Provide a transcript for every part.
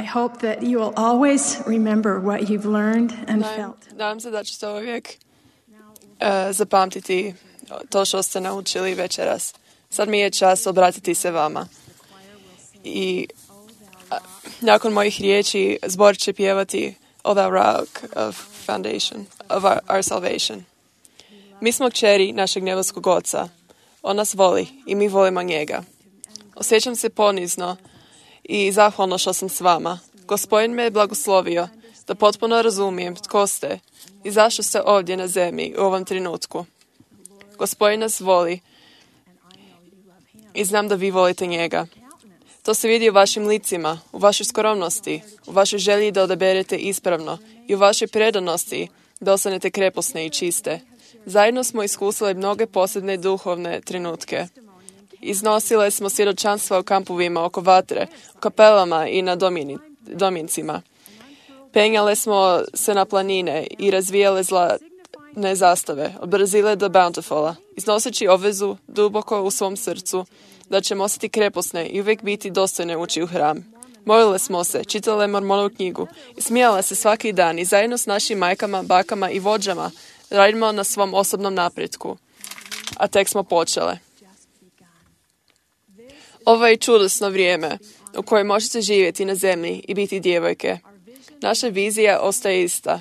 I hope that you will always remember what you've learned and felt. Nadam se da ćete uvijek zapamtiti to što ste naučili večeras. Sad mi je čas obratiti se vama. I nakon mojih riječi zbor će pjevati O thou rock of foundation, of our salvation. Mi smo kćeri našeg nebeskog Oca. On nas voli i mi volimo njega. Osjećam se ponizno i zahvalno što sam s vama. Gospodin me je blagoslovio da potpuno razumijem tko ste i zašto ste ovdje na zemlji u ovom trenutku. Gospodin nas voli i znam da vi volite njega. To se vidi u vašim licima, u vašoj skromnosti, u vašoj želji da odaberete ispravno i u vašoj predanosti da ostanete kreposne i čiste. Zajedno smo iskusili mnoge posebne duhovne trenutke. Iznosile smo svjedočanstva u kampovima oko vatre, u kapelama i na domjencima. Penjale smo se na planine i razvijale zlatne zastave, od Brazile do Bountifula, iznoseći obvezu duboko u svom srcu da ćemo ostati kreposne i uvijek biti dostojne ući u hram. Molile smo se, čitale Mormonovu knjigu i smijale se svaki dan i zajedno s našim majkama, bakama i vođama radimo na svom osobnom napretku. A tek smo počele. Ovo je čudesno vrijeme u kojem možete živjeti na zemlji i biti djevojke. Naša vizija ostaje ista.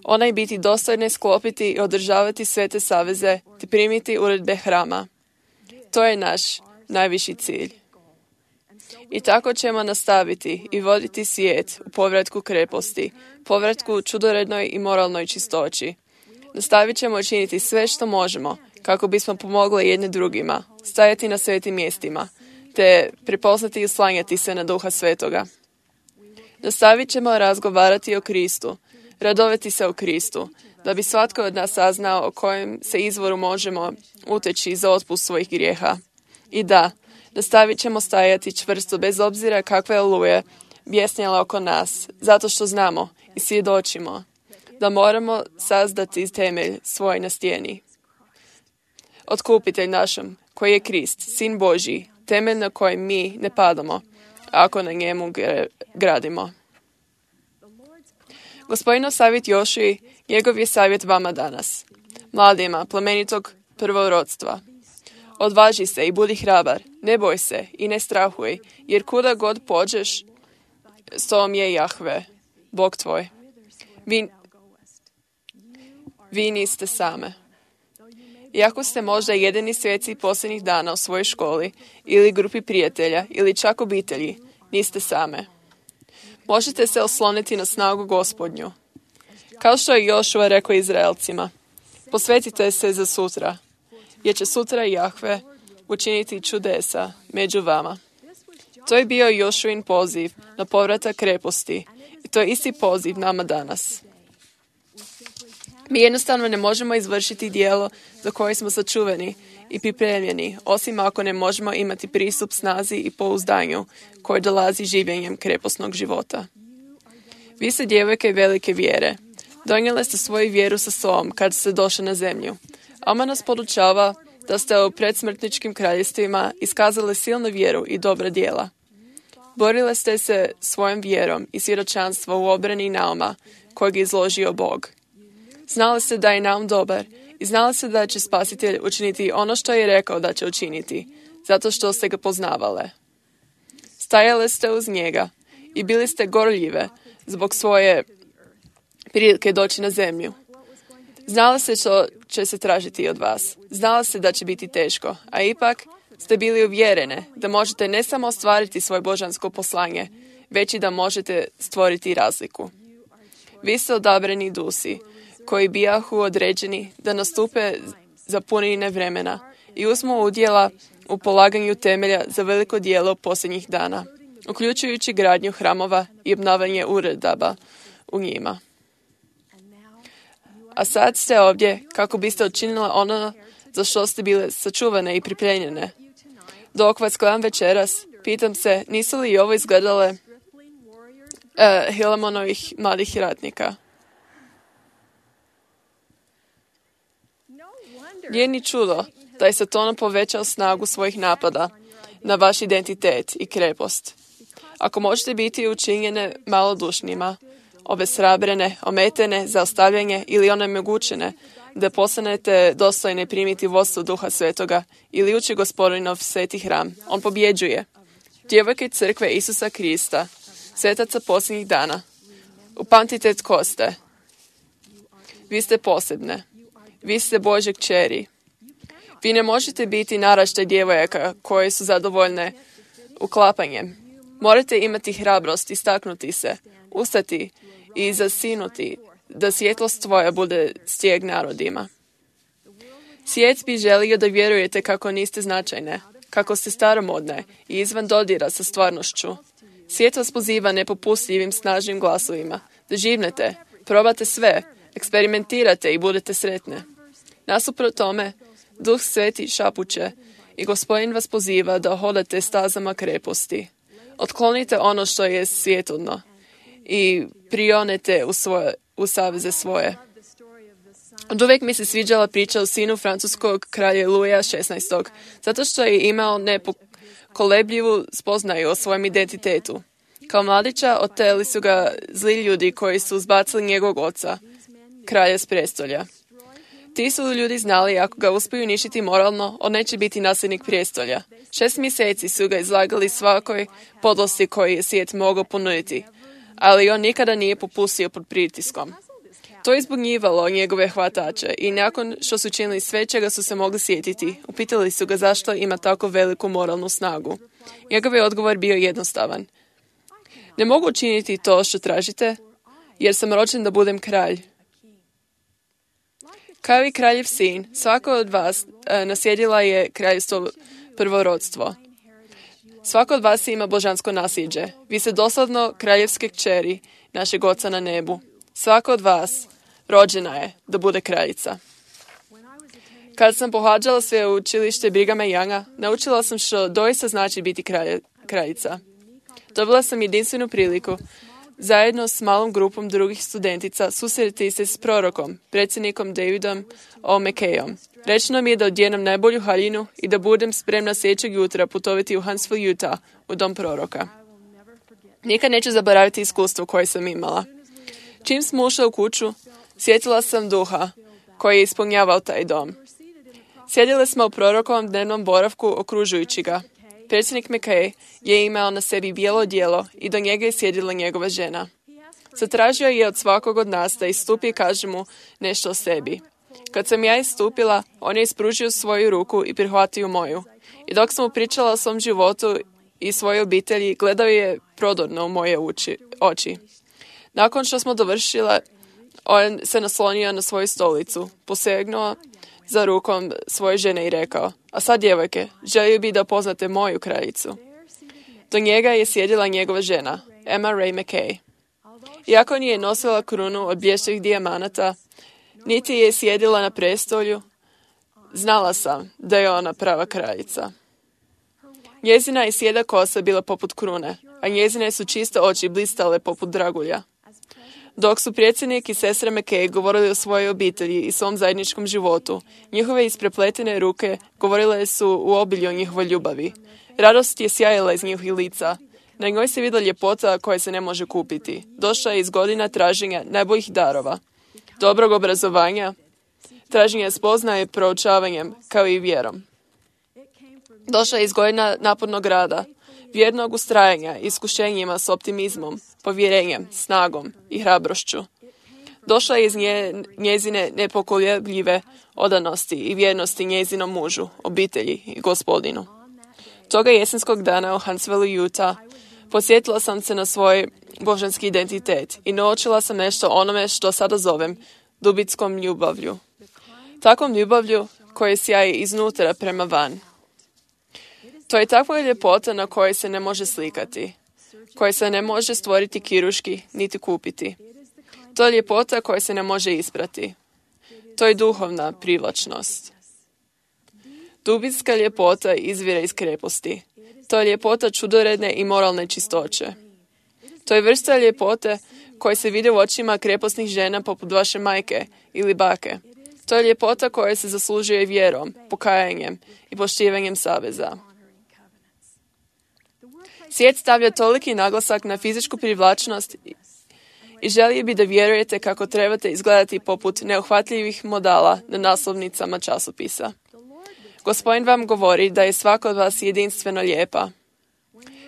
Ona je biti dostojne, sklopiti i održavati svete saveze te primiti uredbe hrama. To je naš najviši cilj. I tako ćemo nastaviti i voditi svijet u povratku kreposti, povratku čudorednoj i moralnoj čistoći. Nastavit ćemo činiti sve što možemo kako bismo pomogli jedne drugima, stajati na svetim mjestima, te prepoznati i oslanjati se na Duha Svetoga. Nastavit ćemo razgovarati o Kristu, radovati se o Kristu, da bi svatko od nas saznao o kojem se izvoru možemo uteći za otpust svojih grijeha. I da, nastavit ćemo stajati čvrsto bez obzira kakve oluje bjesnjale oko nas, zato što znamo i svjedočimo da moramo sazdati temelj svoj na stijeni. Otkupitelj našem, koji je Krist, Sin Božji, temelj na kojem mi ne padamo, ako na njemu gradimo. Gospodinov savjet Jošuji, njegov je savjet vama danas, mladima, plemenitog prvorodstva. Odvaži se i budi hrabar, ne boj se i ne strahuj, jer kuda god pođeš, s tobom je Jahve, Bog tvoj. Vi niste same. Iako ste možda jedini svjeci posljednjih dana u svojoj školi, ili grupi prijatelja, ili čak obitelji, niste same. Možete se osloniti na snagu Gospodnju. Kao što je Jošua rekao Izraelcima, posvetite se za sutra, jer će sutra Jahve učiniti čudesa među vama. To je bio Jošuin poziv na povratak kreposti i to je isti poziv nama danas. Mi jednostavno ne možemo izvršiti djelo za koje smo sačuvani i pripremljeni, osim ako ne možemo imati pristup snazi i pouzdanju koje dolazi življenjem kreposnog života. Vi ste djevojke velike vjere. Donijele ste svoju vjeru sa sobom kad ste došli na zemlju. Ama nas podučava da ste u predsmrtničkim kraljevstvima iskazali silnu vjeru i dobra djela. Borile ste se svojom vjerom i svjedočanstvo u obrani Nauma kojeg je izložio Bog. Znali ste da je Naum dobar i znali ste da će Spasitelj učiniti ono što je rekao da će učiniti, zato što ste ga poznavale. Stajale ste uz njega i bili ste gorljive zbog svoje prilike doći na zemlju. Znali ste što će se tražiti od vas. Znali ste da će biti teško, a ipak ste bili uvjerene da možete ne samo ostvariti svoje božansko poslanje, već i da možete stvoriti razliku. Vi ste odabrani dusi, koji bijahu određeni da nastupe za punine vremena i uzmu udjela u polaganju temelja za veliko djelo posljednjih dana, uključujući gradnju hramova i obnavljanje uredaba u njima. A sad ste ovdje kako biste učinili ono za što ste bile sačuvane i pripremljene. Dok vas gledam večeras, pitam se, nisu li i ovo izgledale Hilamonovih mladih ratnika? Nije ni čudo da je Satan povećao snagu svojih napada na vaš identitet i krepost. Ako možete biti učinjene malodušnima, obeshrabrene, ometene, zaostavljene ili onemogućene, da postanete dostojne primiti vodstvo Duha Svetoga ili ući Gospodinov sveti hram, on pobjeđuje. Djevojke crkve Isusa Krista, svetaca posljednjih dana, upamtite tko ste. Vi ste posebne. Vi ste Božje kćeri. Vi ne možete biti naraštaj djevojaka koje su zadovoljne uklapanjem. Morate imati hrabrost, istaknuti se, ustati i zasinuti, da svjetlost tvoja bude stijeg narodima. Svijet bi želio da vjerujete kako niste značajne, kako ste staromodne i izvan dodira sa stvarnošću. Svijet vas poziva nepopustljivim snažnim glasovima, da živnete, probate sve, eksperimentirate i budete sretne. Nasuprot tome, Duh Sveti šapuće i Gospodin vas poziva da hodate stazama kreposti. Otklonite ono što je svjetovno i prionete u saveze svoje. Od uvijek mi se sviđala priča o sinu francuskog kralja Luija XVI. Zato što je imao nepokolebljivu spoznaju o svojem identitetu. Kao mladića oteli su ga zli ljudi koji su zbacili njegovog oca, kralja s prestolja. Ti su ljudi znali ako ga uspiju uništiti moralno, on neće biti nasljednik prijestolja. 6 mjeseci su ga izlagali svakoj podlosti koji je svijet mogao ponuditi, ali on nikada nije popustio pod pritiskom. To je izbunjivalo njegove hvatače i nakon što su činili sve čega su se mogli sjetiti, upitali su ga zašto ima tako veliku moralnu snagu. Njegov je odgovor bio jednostavan. Ne mogu učiniti to što tražite, jer sam rođen da budem kralj. Kao i kraljev sin, svako od vas naslijedila je kraljevstvo prvorodstvo. Svako od vas ima božansko nasljeđe. Vi ste doslovno kraljevske kćeri našeg Oca na nebu. Svako od vas rođena je da bude kraljica. Kad sam pohađala sveučilište Brighama Younga, naučila sam što doista znači biti kraljica. Dobila sam jedinstvenu priliku zajedno s malom grupom drugih studentica susreti se s prorokom, predsjednikom Davidom O. McKayom. Rečeno mi je da odjenem najbolju haljinu i da budem spremna sljedećeg jutra putovati u Huntsville, Utah, u dom proroka. Nikad neću zaboraviti iskustvo koje sam imala. Čim smo ušli u kuću, sjetila sam duha koji je ispunjavao taj dom. Sjedili smo u prorokovom dnevnom boravku okružujući ga. Predsjednik McKay je imao na sebi bijelo odijelo i do njega je sjedila njegova žena. Zatražio je od svakog od nas da istupi i kaže mu nešto o sebi. Kad sam ja istupila, on je ispružio svoju ruku i prihvatio moju. I dok sam mu pričala o svom životu i svojoj obitelji, gledao je prodorno u moje oči. Nakon što smo dovršile, on se naslonio na svoju stolicu, posegnuo za rukom svoje žene i rekao: a sad, djevojke, želio bi da poznate moju kraljicu. Do njega je sjedila njegova žena, Emma Ray McKay. Iako nije nosila krunu od blještavih dijamanata, niti je sjedila na prestolju, znala sam da je ona prava kraljica. Njezina je sjeda kosa bila poput krune, a njezine su čiste oči blistale poput dragulja. Dok su predsjednik i sestra McKay govorili o svojoj obitelji i svom zajedničkom životu, njihove isprepletene ruke govorile su u obilju o njihovoj ljubavi. Radost je sjajila iz njihovih lica. Na njoj se vidjela ljepota koja se ne može kupiti. Došla je iz godina traženja najboljih darova, dobrog obrazovanja, traženja spoznaje proučavanjem, kao i vjerom. Došla je iz godina napornog rada, vjernog ustrajanja, iskušenjima s optimizmom, povjerenjem, snagom i hrabrošću. Došla je iz njezine nepokolebljive odanosti i vjernosti njezinom mužu, obitelji i Gospodinu. Toga jesenskog dana u Huntsville, Utah, podsjetila sam se na svoj božanski identitet i naučila sam nešto onome što sada zovem dubinskom ljubavlju. Takvom ljubavlju koja sjaji iznutra prema van. To je takva ljepota na kojoj se ne može slikati, koja se ne može stvoriti kirurški niti kupiti. To je ljepota koja se ne može isprati. To je duhovna privlačnost. Dubinska ljepota izvire iz kreposti. To je ljepota čudoredne i moralne čistoće. To je vrsta ljepote koja se vidi u očima krepostnih žena poput vaše majke ili bake. To je ljepota koja se zaslužuje vjerom, pokajanjem i poštivanjem saveza. Svijet stavlja toliki naglasak na fizičku privlačnost i želi bi da vjerujete kako trebate izgledati poput neuhvatljivih modala na naslovnicama časopisa. Gospodin vam govori da je svaka od vas jedinstveno lijepa.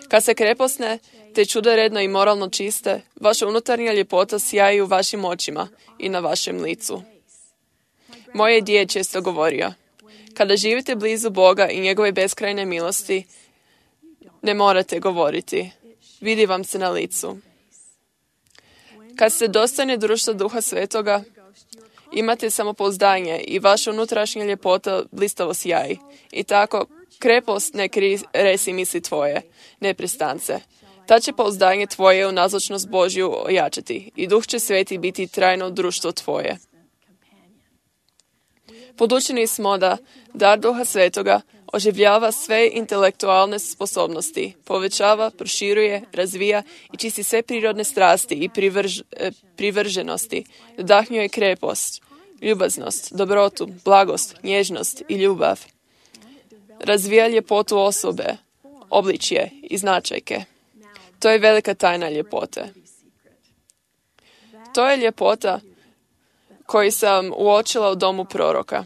Kad se kreposne, te čudoredno i moralno čiste, vaša unutarnja ljepota sjaji u vašim očima i na vašem licu. Moje djed često govorio, kada živite blizu Boga i njegove beskrajne milosti, ne morate govoriti. Vidi vam se na licu. Kad ste dostojni društva Duha Svetoga, imate samopouzdanje i vaša unutrašnja ljepota blistavo sjaji. I tako, krepost ne resi misli tvoje, neprestance. Ta će pouzdanje tvoje u nazočnost Božju ojačati i Duh će Sveti biti trajno društvo tvoje. Podučeni smo da dar Duha Svetoga oživljava sve intelektualne sposobnosti, povećava, proširuje, razvija i čisti sve prirodne strasti i privrženosti, nadahnjuje krepost, ljubaznost, dobrotu, blagost, nježnost i ljubav. Razvija ljepotu osobe, obličje i značajke. To je velika tajna ljepote. To je ljepota koju sam uočila u domu proroka.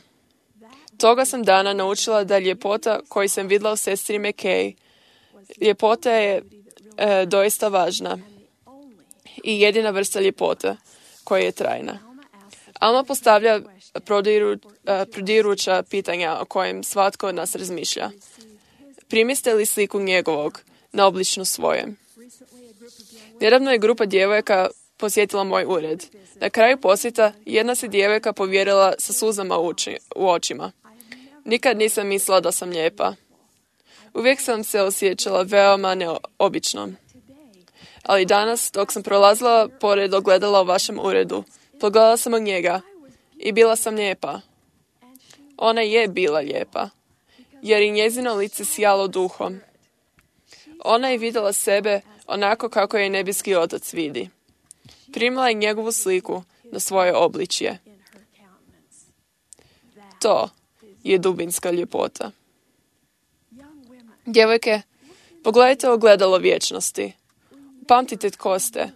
Toga sam dana naučila da ljepota koju sam vidjela u sestri McKay, ljepota je doista važna i jedina vrsta ljepote koja je trajna. Alma postavlja prodiruća pitanja o kojem svatko od nas razmišlja. Primiste li sliku njegovog na obličnu svojem? Nedavno je grupa djevojaka posjetila moj ured. Na kraju posjeta jedna se djevojka povjerila sa suzama u očima. Nikad nisam mislila da sam lijepa. Uvijek sam se osjećala veoma neobično. Ali danas, dok sam prolazila pored ogledala u vašem uredu, pogledala sam u njega i bila sam lijepa. Ona je bila lijepa, jer i njezino lice sijalo duhom. Ona je vidjela sebe onako kako je nebeski Otac vidi. Primila je njegovu sliku na svoje obličje. To je dubinska ljepota. Djevojke, pogledajte ogledalo vječnosti. Pamtite tko ste.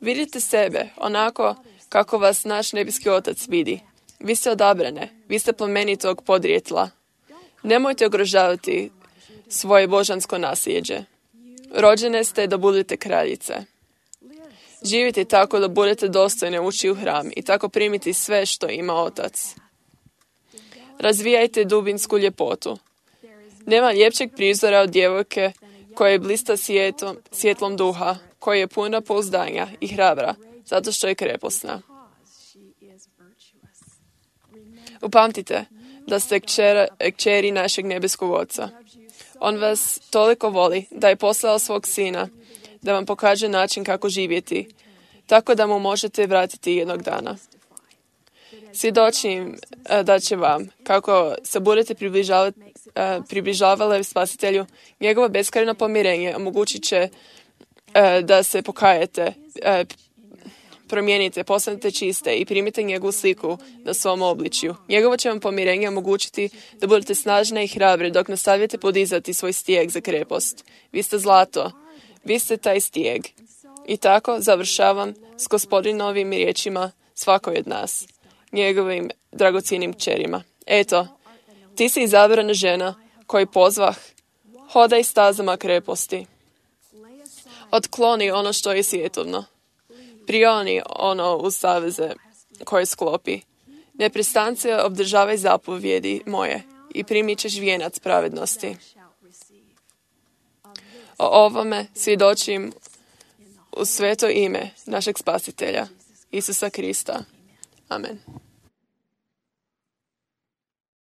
Vidite sebe onako kako vas naš nebeski Otac vidi. Vi ste odabrane, vi ste plemenitog podrijetla. Nemojte ugrožavati svoje božansko nasljeđe. Rođene ste da budete kraljice. Živite tako da budete dostojne ući u hram i tako primiti sve što ima Otac. Razvijajte dubinsku ljepotu. Nema ljepšeg prizora od djevojke koja je blista svjetlom duha, koja je puna pouzdanja i hrabra, zato što je kreposna. Upamtite da ste kćeri našeg nebeskog Oca. On vas toliko voli da je poslao svog Sina da vam pokaže način kako živjeti, tako da mu možete vratiti jednog dana. Svjedočim da će vam, kako se budete približavali Spasitelju, njegovo beskrajno pomirenje omogućit će da se pokajete, promijenite, postanete čiste i primite njegovu sliku na svom obličju. Njegovo će vam pomirenje omogućiti da budete snažne i hrabre dok nastavite podizati svoj stijeg za krepost. Vi ste zlato, vi ste taj stijeg. I tako završavam s Gospodinovim riječima svakoj od nas, njegovim dragocjenim kćerima. Eto, ti si izabrana žena koju pozvah, hodaj stazama kreposti. Otkloni ono što je svjetovno. Prioni ono uz saveze koje sklopi. Neprestance obdržavaj zapovjedi moje i primit ćeš vijenac pravednosti. O ovome svjedočim u sveto ime našeg Spasitelja, Isusa Krista. Amen.